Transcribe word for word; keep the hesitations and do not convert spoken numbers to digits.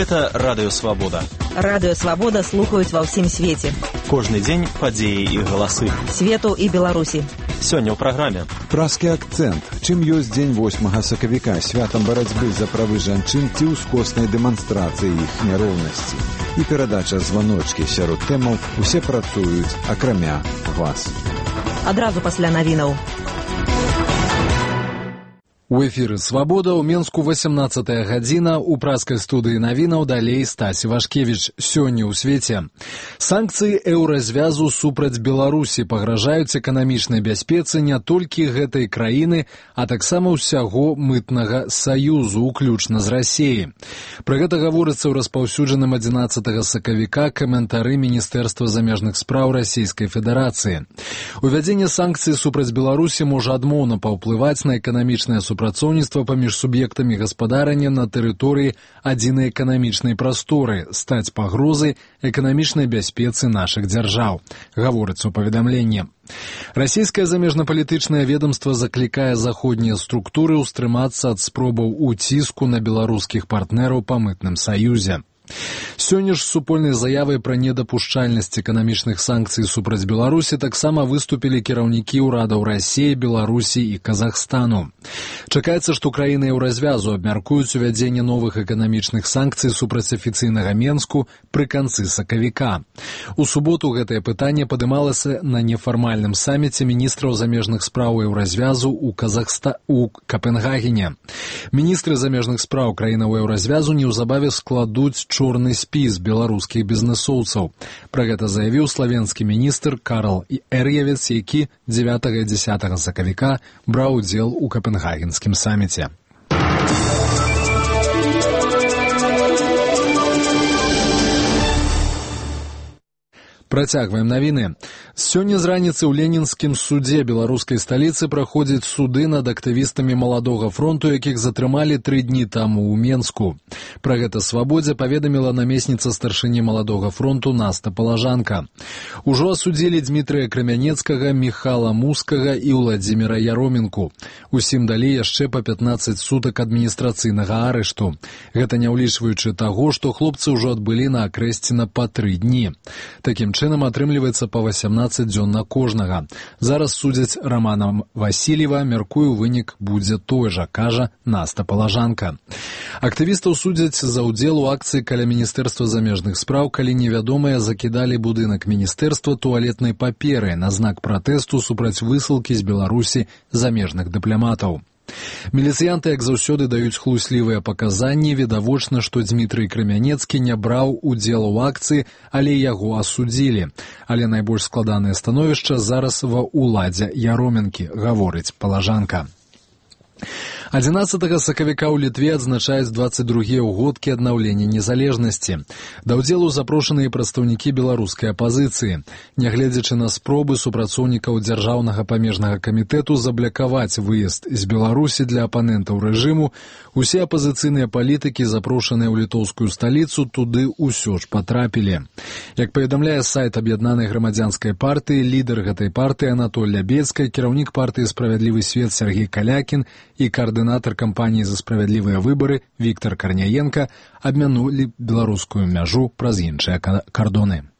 Гэта Радыё Свабода. Радыё Свабода слухаюць ва ўсім свеце. Кожны дзень падзеі і галасы. Свету і Беларусі. Сёння ў праграме. Празкі акцэнт. Чым ёсць дзень восьмага сакавіка, святам барацьбы за правы жанчын ці ўскоснай дэманстрацыі іх няроўнасці. І перадача званочкі сярод тэмаў усе працуюць, акрамя вас. Адразу пасля навінаў. У эфіры «Свабода» ў Менску васямнаццатая гадзіна, у празкай студыі навінаў далей Стась Івашкевіч. Сёння ў свеце. Санкцыі еўразвязу супраць Беларусі пагражаюць эканамічнай бяспецы не толькі гэтай краіны, а таксама ўсяго мытнага саюзу, уключна з Расіі. Пра гэта гаворыцца ў распаўсюджаным адзінаццатага сакавіка каментары Міністэрства замежных спраў Расійскай Федэрацыі. Увядзенне санкцый супраць Беларусі можа адмоўна паўплываць на эканамічнае супрацоўніцтва супрацоўніцтва паміж суб'ектамі гаспадарання на тэрыторыі адзінай эканамічнай прасторы, стаць пагрозай эканамічнай бяспецы нашых дзяржаў, гаворыцца ў паведамленні. Расійскае замежнапалітычнае ведамства заклікае заходнія структуры ўстрымацца ад спробаў уціску на беларускіх партнераў па мытным саюзе. Сёння ж з супольнай заявай пра недапушчальнасць эканамічных санкцый супраць Беларусі таксама выступілі кіраўнікі ўрадаў Расіі, Беларусі і Казахстану. Чакаецца, што краіны еўразвязу абмяркуюць увядзенне новых эканамічных санкцый супраць афіцыйнага Менску пры канцы сакавіка. У суботу гэтае пытанне падымалася на нефармальным саміце міністраў замежных спраў еўразвязу ў Казахста... у Капенгагене. Міністры замежных спраў краінаў еўразвязу неўзабаве складуць чорны спіс беларускіх бізнэсоўцаў. Пра гэта заявіў славенскі міністр Карл Эр'евец, які дзевятага і дзесятага сакавіка браў удзел у Капенгагенскім саміце. Працягваем навіны. Сёння з раніцы ў Ленінскім судзе беларускай сталіцы праходзяць суды над актывістамі Маладога фронту, якіх затрымалі тры дні таму ў Менску. Пра гэта «Свабодзе» паведаміла намесніца старшыні Маладога фронту Наста Палажанка. Ужо асудзілі Дмітрыя Крамянецкага, Міхала Мускага і Ўладзіміра Яроменку. Усім далі яшчэ па пятнаццаць сутак адміністрацыйнага арышту. Гэта не ўлічваючы таго, што хлопцы ўжо адбылі на Акрэсціна па тры дні. Такім чынам атрымліваецца па васямнаццаць дзён на кожнага. Зараз судзяць Рамана Васильева, мяркую, вынік будзе той жа, кажа Наста Палажанка. Актывістаў судзяць за ўдзел у акцыі каля Міністэрства замежных спраў, калі невядомыя закідалі будынак міністэрства туалетнай паперай на знак пратэсту супраць высылкі з Беларусі замежных дыпламатаў. Міліцыянты, як заўсёды, даюць хлуслівыя паказанні. Відавочна, што Дмітрый Крамянецкі не браў удзел у акцыі, але яго асудзілі. Але найбольш складанае становішча зараз ва ўладзе Яроменкі, гаворыць Палажанка. адзінаццатага сакавіка ў Літве адзначаюць дваццаць другія ўгодкі аднаўлення незалежнасці. Да ўдзелу запрошаныя прадстаўнікі беларускай апазіцыі. Нягледзячы на спробы супрацоўнікаў дзяржаўнага памежнага камітэту заблакаваць выезд з Беларусі для апанентаў рэжыму, усе апазіцыйныя палітыкі, запрошаныя ў літоўскую сталіцу, туды ўсё ж патрапілі. Як паведамляе сайт аб'яднанай грамадзянскай партыі, лідар гэтай партыі Анатоль Лябецкая, кіраўнік партыі «Справядлівы свет» Сергей Калякін і каардынатар кампаніі «За справядлівыя выбары» Віктор Карняенка абмянулі беларускую мяжу праз іншыя кардоны.